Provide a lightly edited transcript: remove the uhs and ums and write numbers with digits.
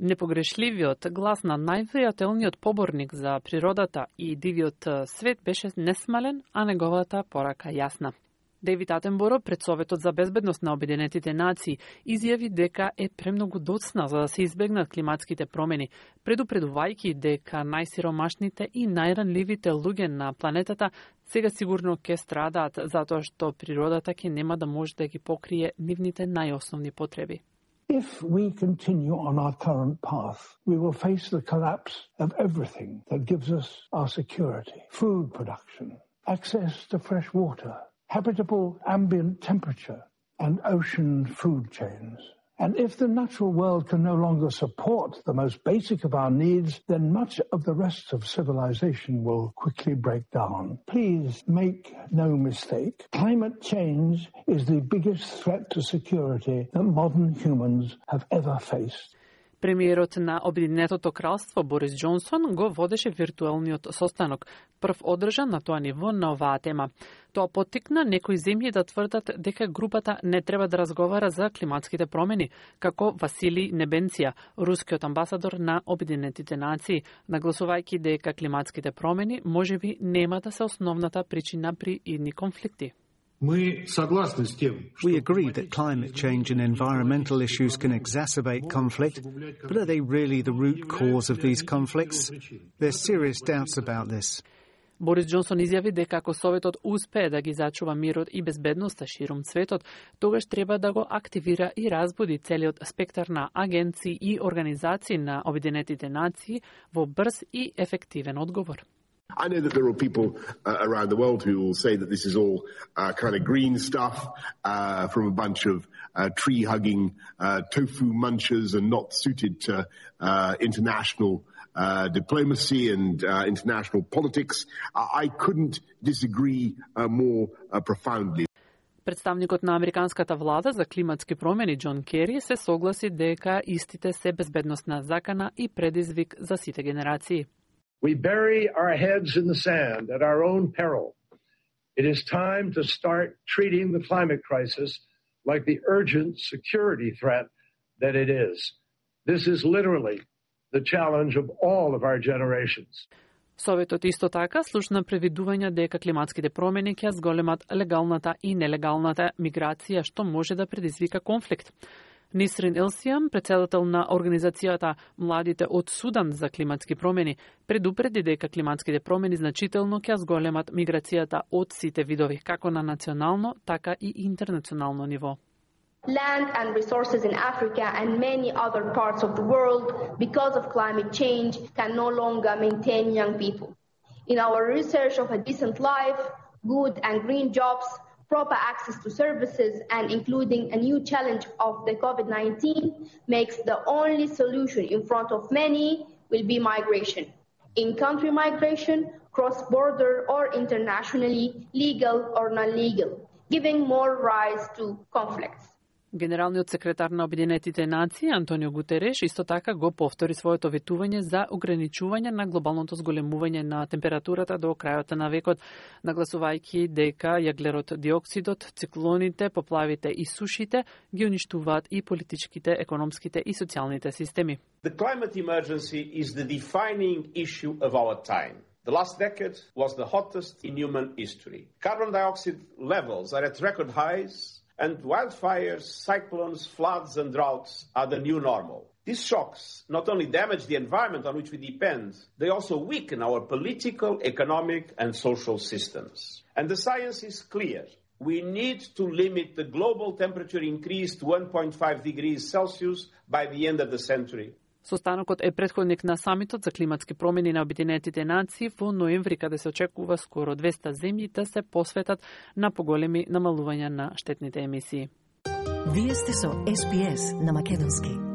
Непогрешливиот глас на највријателниот поборник за природата и дивиот свет беше несмален, а неговата порака јасна. Дейвид Атенборо пред Советот за безбедност на Обединетите нации изјави дека е премногу доцна за да се избегнат климатските промени, предупредувајќи дека најсиромашните и најранливите луѓе на планетата сега сигурно ќе страдаат затоа што природата ќе нема да може да ги покрие нивните најосновни потреби. If we continue on our current path, we will face the collapse of everything that gives us our security. Food production, access to fresh water, habitable ambient temperature, and ocean food chains. And if the natural world can no longer support the most basic of our needs, then much of the rest of civilization will quickly break down. Please make no mistake. Climate change is the biggest threat to security that modern humans have ever faced. Премиерот на Обединетото кралство Борис Џонсон го водеше виртуелниот состанок, прв одржан на тоа ниво на оваа тема. Тоа поттикна некои земји да тврдат дека групата не треба да разговара за климатските промени, како Василий Небенција, рускиот амбасадор на Обединетите нации, нагласувајќи дека климатските промени можеби нема да се основната причина при идни конфликти. We agree that climate change and environmental issues can exacerbate conflict, but are they really the root cause of these conflicts? There's serious doubts about this. Борис Џонсон изјави дека ако Советот успее да ги зачува мирот и безбедноста ширум светот, тогаш треба да го активира и разбуди целиот спектар на агенции и организации на Обединетите нации во брз и ефективен одговор. I know that there are people around the world who will say that this is all kind of green stuff from a bunch of tree-hugging tofu munchers and not suited to international diplomacy and international politics. I couldn't disagree more profoundly. Представникот на американската влада за климатски промени Џон Кери се согласи дека истите се безбедносна закана и предизвик за сите генерации. We bury our heads in the sand at our own peril. It is time to start treating the climate crisis like the urgent security threat that it is. This is literally the challenge of all of our generations. Советот исто така слушна превидувања дека климатските промени ќе зголемат легалната и нелегалната миграција, што може да предизвика конфликт. Нисрин Елсијан, председател на организацијата Младите од Судан за климатски промени, предупреди дека климатските промени значително ќе зголемат миграцијата од сите видови, како на национално, така и интернационално ниво. Land and resources in Africa and many other parts of the world, because of climate change, can no longer maintain young people. In our research of a decent life, good and green jobs, proper access to services, and including a new challenge of the COVID-19 makes the only solution in front of many will be migration. In-country migration, cross-border or internationally, legal or non-legal, giving more rise to conflicts. Генералниот секретар на Обединетите нации Антонио Гутереш исто така го повтори своето ветување за ограничување на глобалното зголемување на температурата до крајот на векот, нагласувајќи дека јаглерод диоксидот, циклоните, поплавите и сушите ги уништуваат и политичките, економските и социјалните системи. The climate emergency is the defining issue of our time. The last decade was the hottest in human history. Carbon dioxide levels are at record highs, and wildfires, cyclones, floods and droughts are the new normal. These shocks not only damage the environment on which we depend, they also weaken our political, economic and social systems. And the science is clear. We need to limit the global temperature increase to 1.5 degrees Celsius by the end of the century. Состанокот е претходник на самитот за климатски промени на Обединетите нации во ноември, каде се очекува скоро 200 земји да се посветат на поголеми намалувања на штетните емисии. Вие сте со SPS на македонски.